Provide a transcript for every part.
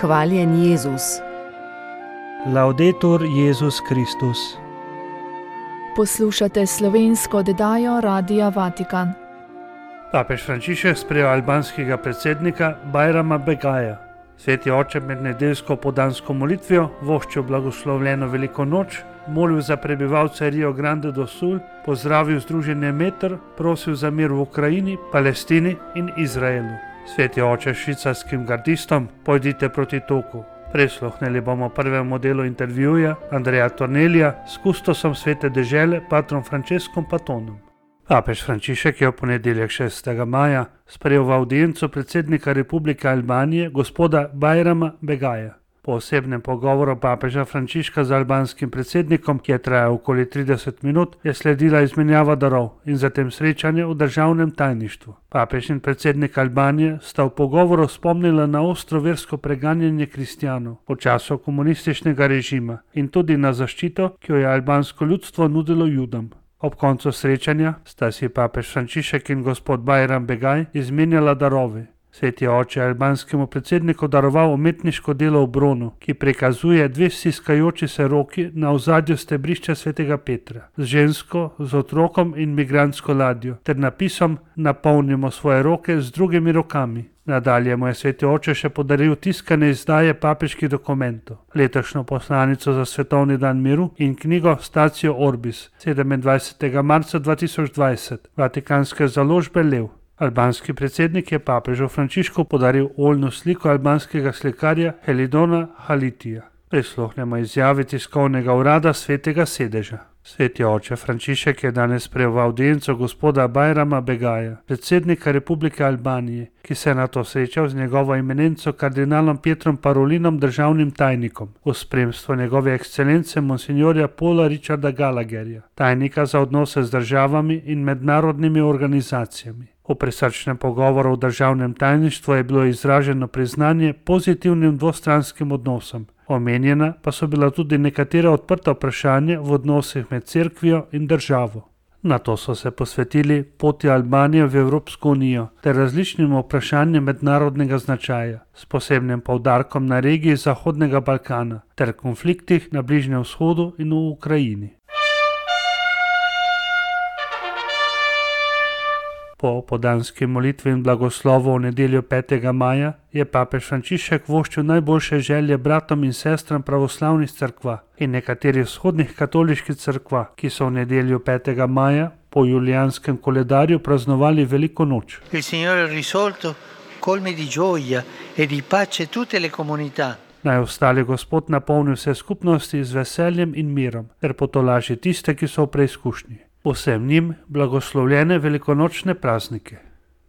Hvaljen Jezus. Laudetur Jezus Kristus. Poslušate slovensko oddajo Radia Vatikan. Papež Frančišek sprejel albanskega predsednika Bajrama Begaja. Sveti oče med nedeljsko podansko molitvijo voščil blagoslovljeno veliko noč, molil za prebivalce Rio Grande do Sul, pozdravil združenje Meter, prosil za mir v Ukrajini, Palestini in Izraelu. Sveti oče švicarskim gardistom, pojdite proti toku. Prisluhnili bomo prvemu delu intervjuja Andreja Tornelija s kustosom svete dežele patrom Franceskom Patonom. Papež Frančišek je v ponedeljek 6. maja sprejel v avdienco predsednika Republike Albanije gospoda Bajrama Begaja. Po osebnem pogovoru papeža Frančiška z albanskim predsednikom, ki je trajal okoli 30 minut, je sledila izmenjava darov in zatem srečanje v državnem tajništvu. Papež in predsednik Albanije sta v pogovoru spomnila na ostro versko preganjanje kristjanov v času komunističnega režima in tudi na zaščito, ki jo je albansko ljudstvo nudilo Judom. Ob koncu srečanja sta si papež Frančišek in gospod Bajram Begaj izmenjala darove. Sveti oče je albanskemu predsedniku daroval umetniško delo v bronu, ki prikazuje dve stiskajoči se roki na ozadju stebrišča svetega Petra, z žensko, z otrokom in migrantsko ladjo, ter napisom Napolnimo svoje roke z drugimi rokami. Nadalje mu je sveti oče še podaril tiskane izdaje papeških dokumentov, letošnjo poslanico za svetovni dan miru in knjigo Statio Orbis 27. marca 2020, vatikanske založbe Lev. Albanski predsednik je papežu Frančišku podaril oljno sliko albanskega slikarja Helidona Halitija. Prisluhnemo izjavi tiskovnega urada svetega sedeža. Sveti oče Frančišek je danes sprejel v avdienco gospoda Bajrama Begaja, predsednika Republike Albanije, ki se je nato srečal z njegovo eminenco kardinalom Pietrom Parolinom, državnim tajnikom, v spremstvu njegove ekscelence monsignorja Paula Richarda Gallagherja, tajnika za odnose z državami in mednarodnimi organizacijami. V prisrčnem pogovoru v državnem tajništvu je bilo izraženo priznanje pozitivnim dvostranskim odnosom. Omenjena pa so bila tudi nekatera odprta vprašanja v odnosih med cerkvijo in državo. Nato so se posvetili poti Albanije v Evropsko unijo ter različnim vprašanjem mednarodnega značaja, s posebnim poudarkom na regiji Zahodnega Balkana ter konfliktih na Bližnjem vzhodu in v Ukrajini. Po podanski molitvi in blagoslovu v nedeljo 5. maja je papež Frančišek voščil najboljše želje bratom in sestram pravoslavnih cerkva in nekaterih vzhodnih katoliških cerkva, ki so v nedeljo 5. maja po julijanskem koledarju praznovali veliko noč. Il Signore ha risolto colmi di gioia e di pace tutte le comunità. Naj ostali Gospod napolni vse skupnosti z veseljem in mirom ter potolaži tiste, ki so v preizkušnji. Vsem njim blagoslovljene velikonočne praznike.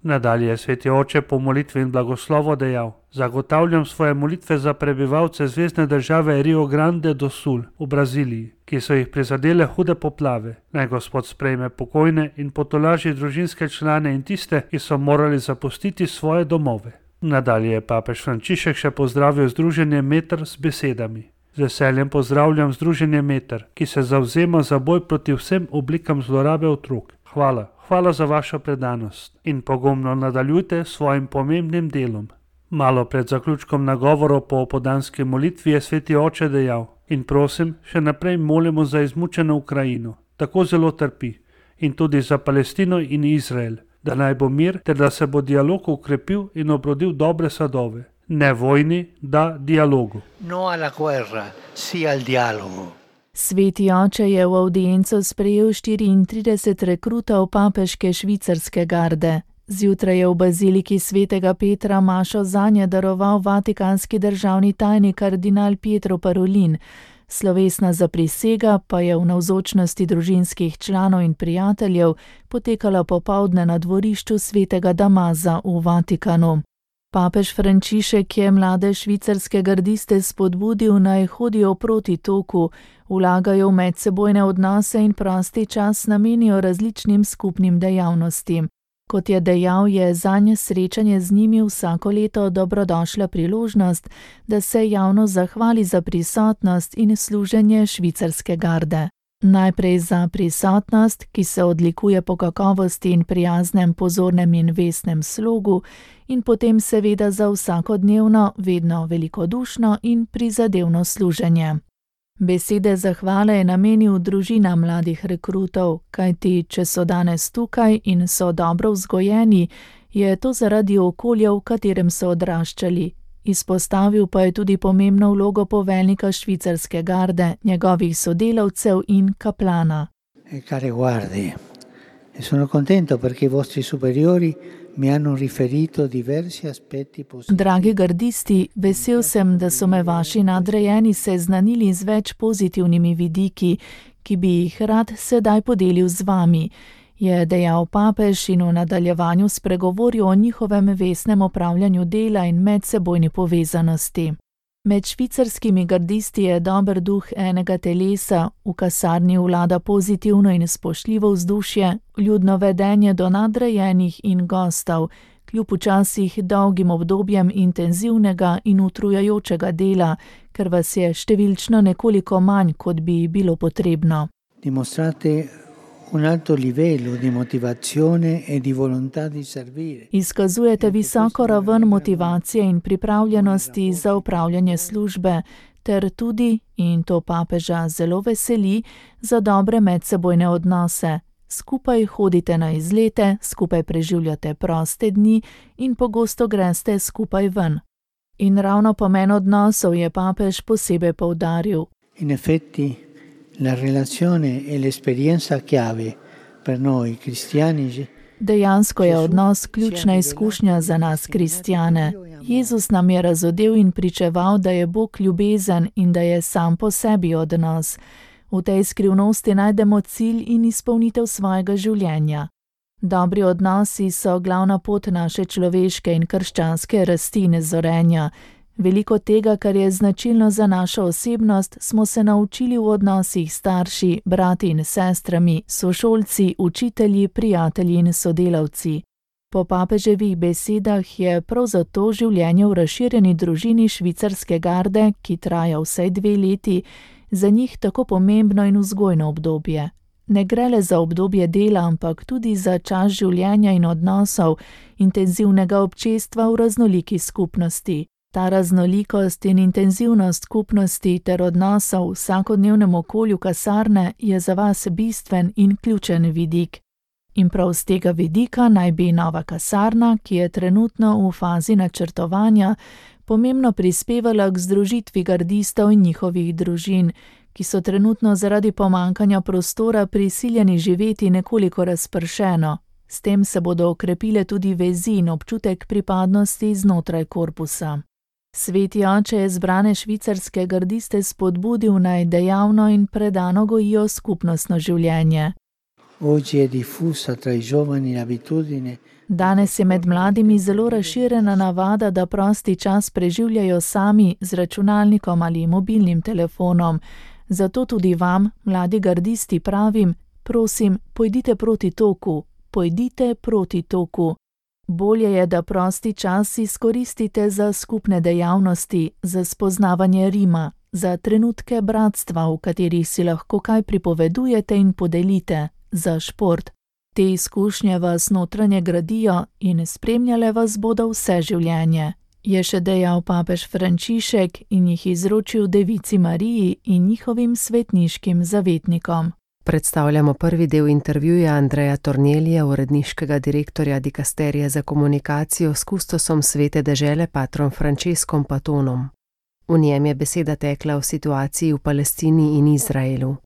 Nadalje je sveti oče po molitvi in blagoslovu dejal: Zagotavljam svoje molitve za prebivalce zvezne države Rio Grande do Sul v Braziliji, ki so jih prizadele hude poplave. Naj Gospod sprejme pokojne in potolaži družinske člane in tiste, ki so morali zapustiti svoje domove. Nadalje je papež Frančišek še pozdravil združenje Meter z besedami: Z veseljem pozdravljam združenje Meter, ki se zavzema za boj proti vsem oblikam zlorabe otrok. Hvala za vašo predanost in pogumno nadaljujte s svojim pomembnim delom. Malo pred zaključkom nagovorov po podanski molitvi je sveti oče dejal: In prosim, še naprej molimo za izmučeno Ukrajino, tako zelo trpi, in tudi za Palestino in Izrael, da naj bo mir ter da se bo dialog ukrepil in obrodil dobre sadove. Ne vojni, da dialogu. No alla guerra, sì al dialogo. Sveti oče je v avdienco sprejel 34 rekrutov papeške švicarske garde. Zjutraj je v baziliki svetega Petra mašo zanje daroval vatikanski državni tajnik kardinal Pietro Parolin. Slovesna zaprisega pa je v navzočnosti družinskih članov in prijateljev potekala popoldne na dvorišču svetega Damaza v Vatikanu. Papež Frančišek je mlade švicarske gardiste spodbudil, naj hodijo proti toku, vlagajo v medsebojne odnose in prosti čas namenijo različnim skupnim dejavnostim. Kot je dejal, je zanje srečanje z njimi vsako leto dobrodošla priložnost, da se javno zahvali za prisotnost in služenje švicarske garde. Najprej za prisotnost, ki se odlikuje po kakovosti in prijaznem, pozornem in vestnem slogu, in potem seveda za vsakodnevno, vedno velikodušno in prizadevno služenje. Besede zahvale je namenil družinam mladih rekrutov, kajti če so danes tukaj in so dobro vzgojeni, je to zaradi okolja, v katerem so odraščali. Izpostavil pa je tudi pomembno vlogo poveljnika švicarske garde, njegovih sodelavcev in kaplana. Care guardie, sono contento perché i vostri superiori mi hanno riferito diversi aspetti positivi. Dragi gardisti, vesel sem, da so me vaši nadrejeni seznanili z več pozitivnimi vidiki, ki bi jih rad sedaj podelil z vami, je dejal papež in v nadaljevanju spregovoril o njihovem vestnem opravljanju dela in medsebojni povezanosti. Med švicarskimi gardisti je dober duh enega telesa, v kasarni vlada pozitivno in spoštljivo vzdušje, ljudno vedenje do nadrejenih in gostov, kljub včasih dolgim obdobjem intenzivnega in utrujajočega dela, ker vas je številčno nekoliko manj, kot bi bilo potrebno. Dimostrate un alto livello di motivazione e di volontà di servire. Izkazujete visoko raven motivacije in pripravljenosti za opravljanje službe, ter tudi, in to papeža zelo veseli, za dobre medsebojne odnose. Skupaj hodite na izlete, skupaj preživljate proste dni in pogosto greste skupaj ven. In ravno pomen odnosov je papež posebej poudaril. In effetti, la relazione e l'esperienza chiave per noi cristiani. Dejansko je odnos ključna izkušnja za nas kristjane. Jezus nam je razodel in pričeval, da je Bog ljubezen in da je sam po sebi odnos. V tej skrivnosti najdemo cilj in izpolnitev svojega življenja. Dobri odnosi so glavna pot naše človeške in krščanske rasti in zorenja. Veliko tega, kar je značilno za našo osebnost, smo se naučili v odnosih s starši, brati in sestrami, sošolci, učitelji, prijatelji in sodelavci. Po papeževih besedah je prav zato življenje v razširjeni družini švicarske garde, ki traja vsaj 2 leti, za njih tako pomembno in vzgojno obdobje. Ne gre le za obdobje dela, ampak tudi za čas življenja in odnosov, intenzivnega občestva v raznoliki skupnosti. Ta raznolikost in intenzivnost skupnosti ter odnosov v vsakodnevnem okolju kasarne je za vas bistven in ključen vidik. In prav z tega vidika naj bi nova kasarna, ki je trenutno v fazi načrtovanja, pomembno prispevala k združitvi gardistov in njihovih družin, ki so trenutno zaradi pomankanja prostora prisiljeni živeti nekoliko razpršeno. S tem se bodo okrepile tudi vezi in občutek pripadnosti znotraj korpusa. Sveti oče je zbrane švicarske gardiste spodbudil, naj dejavno in predano gojijo skupnostno življenje. Danes je med mladimi zelo razširjena navada, da prosti čas preživljajo sami z računalnikom ali mobilnim telefonom. Zato tudi vam, mladi gardisti, pravim, prosim, pojdite proti toku, pojdite proti toku. Bolje je, da prosti čas izkoristite za skupne dejavnosti, za spoznavanje Rima, za trenutke bratstva, v katerih si lahko kaj pripovedujete in podelite, za šport. Te izkušnje vas notranje gradijo in spremljale vas bodo vse življenje, je še dejal papež Frančišek in jih izročil Devici Mariji in njihovim svetniškim zavetnikom. Predstavljamo prvi del intervjuja Andreja Tornelija, uredniškega direktorja dikasterije za komunikacijo s kustosom Svete dežele patrom Franceskom Patonom. V njem je beseda tekla o situaciji v Palestini in Izraelu.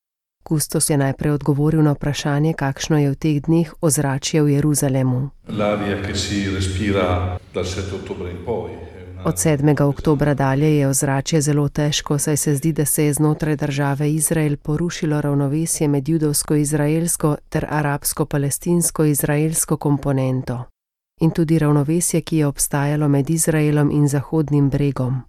Kustos je najprej odgovoril na vprašanje, kakšno je v teh dneh ozračje v Jeruzalemu. Od 7. oktobra dalje je ozračje zelo težko, saj se zdi, da se je znotraj države Izrael porušilo ravnovesje med judovsko-izraelsko ter arabsko-palestinsko-izraelsko komponento. In tudi ravnovesje, ki je obstajalo med Izraelom in Zahodnim bregom.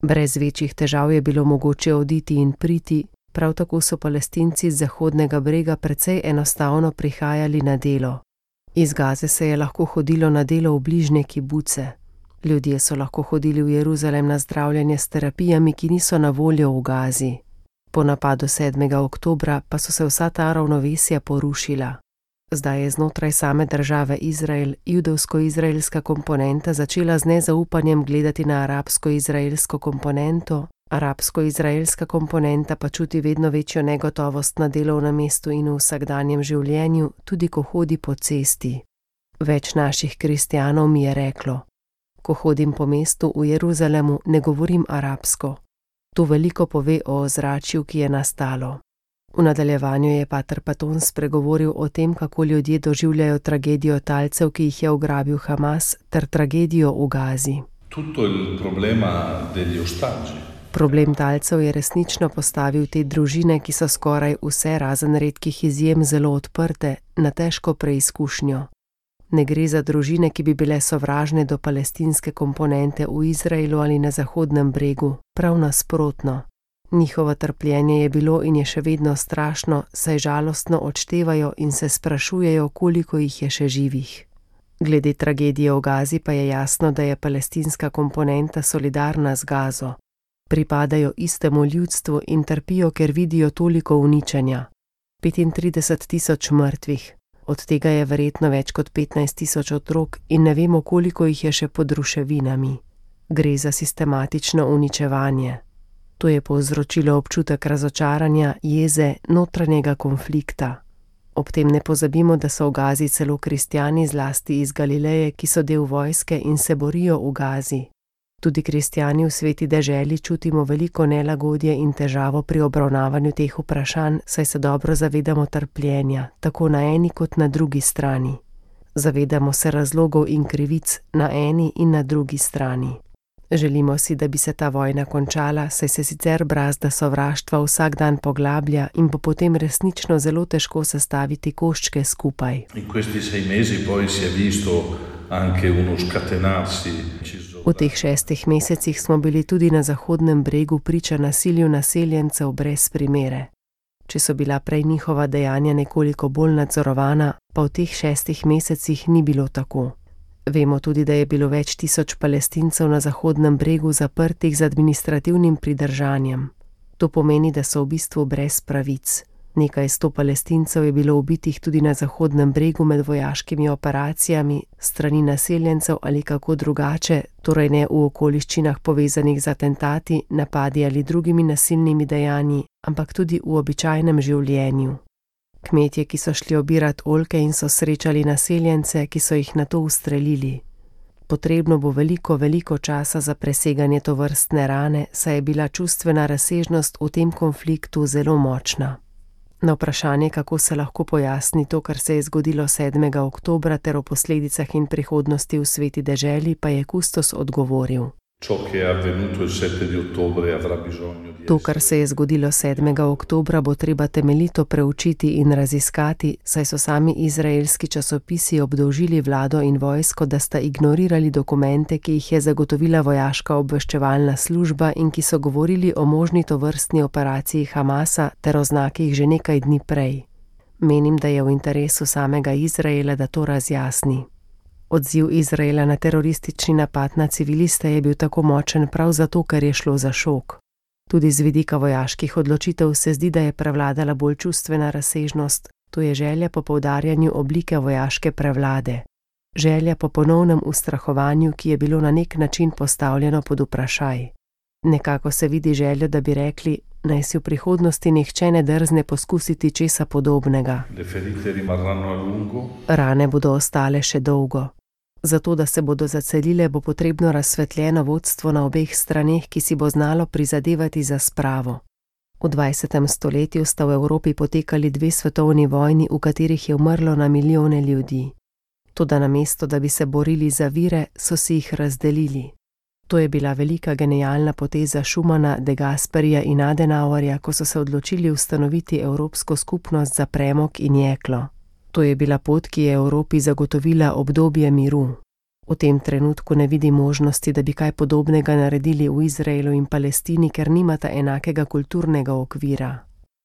Brez večjih težav je bilo mogoče oditi in priti, prav tako so Palestinci z Zahodnega brega precej enostavno prihajali na delo. Iz Gaze se je lahko hodilo na delo v bližnje kibuce. Ljudje so lahko hodili v Jeruzalem na zdravljenje s terapijami, ki niso na voljo v Gazi. Po napadu 7. oktobra pa so se vsa ta ravnovesja porušila. Zdaj je znotraj same države Izrael judovsko-izraelska komponenta začela z nezaupanjem gledati na arabsko-izraelsko komponento, arabsko-izraelska komponenta pa čuti vedno večjo negotovost na delovnem mestu in v vsakdanjem življenju, tudi ko hodi po cesti. Več naših kristjanov mi je reklo: ko hodim po mestu v Jeruzalemu, ne govorim arabsko. To veliko pove o ozračju, ki je nastalo. V nadaljevanju je pater Paton spregovoril o tem, kako ljudje doživljajo tragedijo talcev, ki jih je ugrabil Hamas, ter tragedijo v Gazi. Problem talcev je resnično postavil te družine, ki so skoraj vse razen redkih izjem zelo odprte, na težko preizkušnjo. Ne gre za družine, ki bi bile sovražne do palestinske komponente v Izraelu ali na Zahodnem bregu, prav nasprotno. Njihovo trpljenje je bilo in je še vedno strašno, saj žalostno odštevajo in se sprašujejo, koliko jih je še živih. Glede tragedije v Gazi pa je jasno, da je palestinska komponenta solidarna z Gazo. Pripadajo istemu ljudstvu in trpijo, ker vidijo toliko uničenja. 35.000 mrtvih, od tega je verjetno več kot 15.000 otrok in ne vemo, koliko jih je še pod ruševinami. Gre za sistematično uničevanje. To je povzročilo občutek razočaranja, jeze, notranjega konflikta. Ob tem ne pozabimo, da so v Gazi celo kristjani, zlasti iz Galileje, ki so del vojske in se borijo v Gazi. Tudi kristjani v sveti deželi čutimo veliko nelagodje in težavo pri obravnavanju teh vprašanj, saj se dobro zavedamo trpljenja, tako na eni kot na drugi strani. Zavedamo se razlogov in krivic na eni in na drugi strani. Želimo si, da bi se ta vojna končala, saj se sicer brazda sovraštva vsak dan poglablja in bo potem resnično zelo težko sestaviti koščke skupaj. V teh 6 mesecih smo bili tudi na Zahodnem bregu priča nasilju naseljencev brez primere. Če so bila prej njihova dejanja nekoliko bolj nadzorovana, pa v teh 6 mesecih ni bilo tako. Vemo tudi, da je bilo več tisoč Palestincev na Zahodnem bregu zaprtih z administrativnim pridržanjem. To pomeni, da so v bistvu brez pravic. Nekaj 100 Palestincev je bilo ubitih tudi na Zahodnem bregu med vojaškimi operacijami, strani naseljencev ali kako drugače, torej ne v okoliščinah povezanih z atentati, napadi ali drugimi nasilnimi dejanji, ampak tudi v običajnem življenju. Kmetje, ki so šli obirat oljke in so srečali naseljence, ki so jih nato ustrelili. Potrebno bo veliko časa za preseganje tovrstne rane, saj je bila čustvena razsežnost v tem konfliktu zelo močna. Na vprašanje, kako se lahko pojasni to, kar se je zgodilo 7. oktobra ter o posledicah in prihodnosti v sveti deželi, pa je kustos odgovoril. To, kar se je zgodilo 7. oktobra, bo treba temeljito preučiti in raziskati, saj so sami izraelski časopisi obdolžili vlado in vojsko, da sta ignorirali dokumente, ki jih je zagotovila vojaška obveščevalna služba in ki so govorili o možni tovrstni operaciji Hamasa ter o znakih že nekaj dni prej. Menim, da je v interesu samega Izraela, da to razjasni. Odziv Izraela na teroristični napad na civiliste je bil tako močen prav zato, ker je šlo za šok. Tudi z vidika vojaških odločitev se zdi, da je prevladala bolj čustvena razsežnost, to je želja po poudarjanju oblike vojaške prevlade. Želja po ponovnem ustrahovanju, ki je bilo na nek način postavljeno pod vprašaj. Nekako se vidi željo, da bi rekli, naj si v prihodnosti nihče ne drzne poskusiti česa podobnega. Rane bodo ostale še dolgo. Zato, da se bodo zacelile, bo potrebno razsvetljeno vodstvo na obeh straneh, ki si bo znalo prizadevati za spravo. V 20. stoletju sta v Evropi potekali 2 svetovni vojni, v katerih je umrlo na milijone ljudi. Toda namesto, da bi se borili za vire, so si jih razdelili. To je bila velika genialna poteza Schumana, De Gasperija in Adenauerja, ko so se odločili ustanoviti Evropsko skupnost za premog in jeklo. To je bila pot, ki je Evropi zagotovila obdobje miru. V tem trenutku ne vidi možnosti, da bi kaj podobnega naredili v Izraelu in Palestini, ker nimata enakega kulturnega okvira.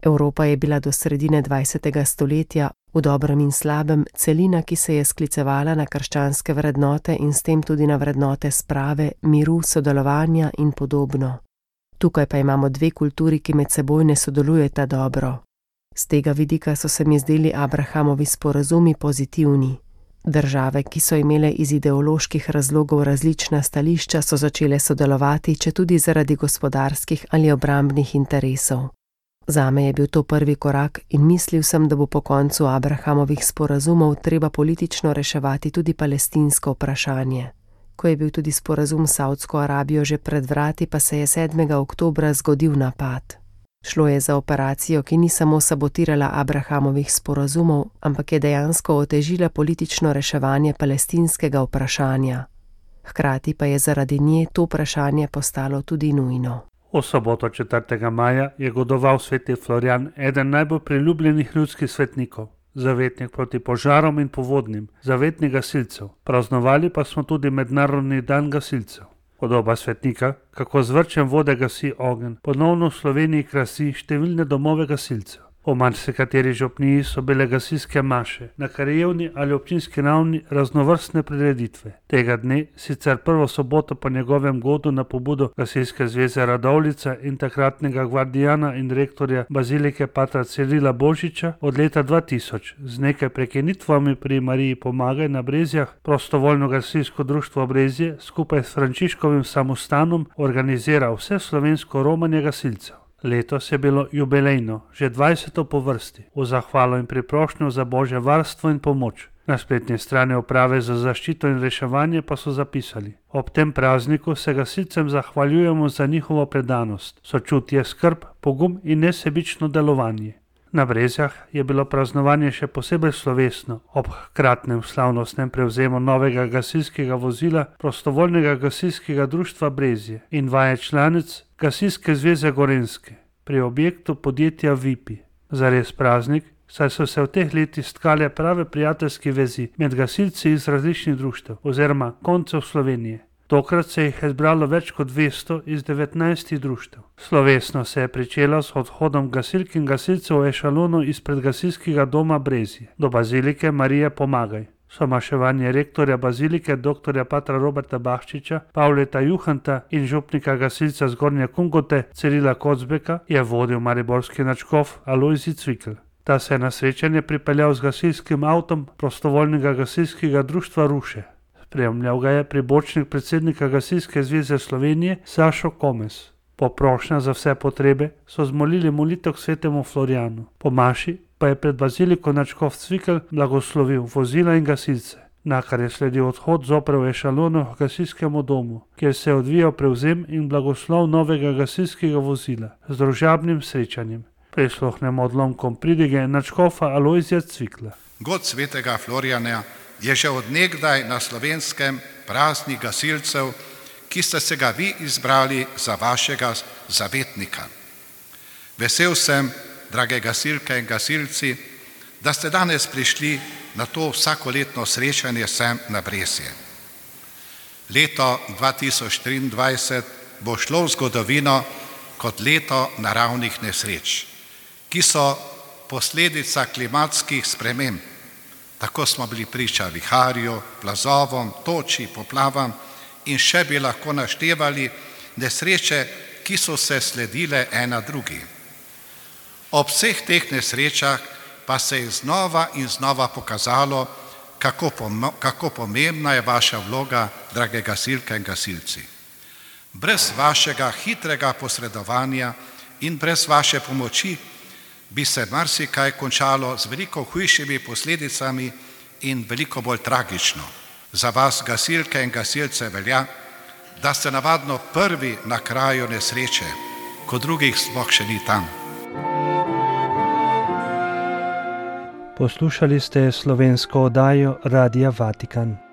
Evropa je bila do sredine 20. stoletja, v dobrem in slabem, celina, ki se je sklicevala na krščanske vrednote in s tem tudi na vrednote sprave, miru, sodelovanja in podobno. Tukaj pa imamo dve kulturi, ki med seboj ne sodelujeta dobro. Z tega vidika so se mi zdeli Abrahamovi sporazumi pozitivni. Države, ki so imele iz ideoloških razlogov različna stališča, so začele sodelovati, četudi zaradi gospodarskih ali obrambnih interesov. Zame je bil to prvi korak in mislil sem, da bo po koncu Abrahamovih sporazumov treba politično reševati tudi palestinsko vprašanje. Ko je bil tudi sporazum s Savdsko Arabijo že pred vrati, pa se je 7. oktobra zgodil napad. Šlo je za operacijo, ki ni samo sabotirala Abrahamovih sporazumov, ampak je dejansko otežila politično reševanje palestinskega vprašanja. Hkrati pa je zaradi nje to vprašanje postalo tudi nujno. V soboto 4. maja je godoval sveti Florjan, eden najbolj priljubljenih ljudskih svetnikov, zavetnik proti požarom in povodnim, zavetnik gasilcev. Praznovali pa smo tudi mednarodni dan gasilcev. Podoba svetnika, kako z vrčem vode gasi ogenj, ponovno v Sloveniji krasi številne domove gasilcev. V marsikateri župniji so bile gasilske maše, na krajevni ali občinski ravni raznovrstne prireditve. Tega dne, sicer prvo soboto po njegovem godu na pobudo Gasilske zveze Radovljica in takratnega gvardijana in rektorja bazilike patra Cirila Božiča, od leta 2000 z nekaj prekinitvami pri Mariji Pomagaj na Brezjah, prostovoljno gasilsko društvo Brezje skupaj s Frančiškovim samostanom organizira vse slovensko romanje gasilcev. Letos je bilo jubilejno, že 20. po vrsti, v zahvalo in priprošnjo za Božje varstvo in pomoč. Na spletni strani Uprave za zaščito in reševanje pa so zapisali: ob tem prazniku se gasilcem zahvaljujemo za njihovo predanost, sočutje, skrb, pogum in nesebično delovanje. Na Brezjah je bilo praznovanje še posebej slovesno, ob hkratnem slavnostnem prevzemu novega gasilskega vozila prostovoljnega gasilskega društva Brezje in vaje članic Gasilske zveze Gorenjske pri objektu podjetja Vipi. Zares praznik, saj so se v teh letih stkale prave prijateljske vezi med gasilci iz različnih društev oziroma koncev Slovenije. Tokrat se jih je zbralo več kot 200 iz 19 društev. Slovesno se je pričelo s odhodom gasilk in gasilcev v ešalonu izpred gasilskega doma Brezje do bazilike Marije Pomagaj. Somaševanje rektorja bazilike dr. patra Roberta Bahčiča, Pavleta Juhanta in župnika gasilca Zgornje Kungote Cirila Kocbeka je vodil mariborski nadškof Alojzij Cvikl. Ta se je na srečanje pripeljal z gasilskim avtom prostovoljnega gasilskega društva Ruše. Spremljal ga je pribočnik predsednika Gasilske zveze Slovenije Sašo Komes. Po prošnjah za vse potrebe so zmolili molitev k svetemu Florjanu. Po maši pa je pred baziliko nadškof Cvikl blagoslovil vozila in gasilce, nakar je sledil odhod zopet v ešalonu k gasilskemu domu, kjer se je odvijal prevzem in blagoslov novega gasilskega vozila z družabnim srečanjem. Prisluhnemo odlomkom pridige nadškofa Alojzija Cvikla. God svetega Florjana je že od nekdaj na Slovenskem praznik gasilcev, ki ste se ga vi izbrali za vašega zavetnika. Vesel sem, drage gasilke in gasilci, da ste danes prišli na to vsakoletno srečanje sem na Brezje. Leto 2023 bo šlo v zgodovino kot leto naravnih nesreč, ki so posledica klimatskih sprememb. Tako smo bili priča viharju, plazovom, toči, poplavam in še bi lahko naštevali nesreče, ki so se sledile ena drugi. Ob vseh teh nesrečah pa se je znova in znova pokazalo, kako pomembna je vaša vloga, drage gasilke in gasilci. Brez vašega hitrega posredovanja in brez vaše pomoči bi se marsikaj končalo z veliko hujšimi posledicami in veliko bolj tragično. Za vas, gasilke in gasilce, velja, da ste navadno prvi na kraju nesreče, ko drugih sploh še ni tam. Poslušali ste slovensko oddajo Radia Vatikan.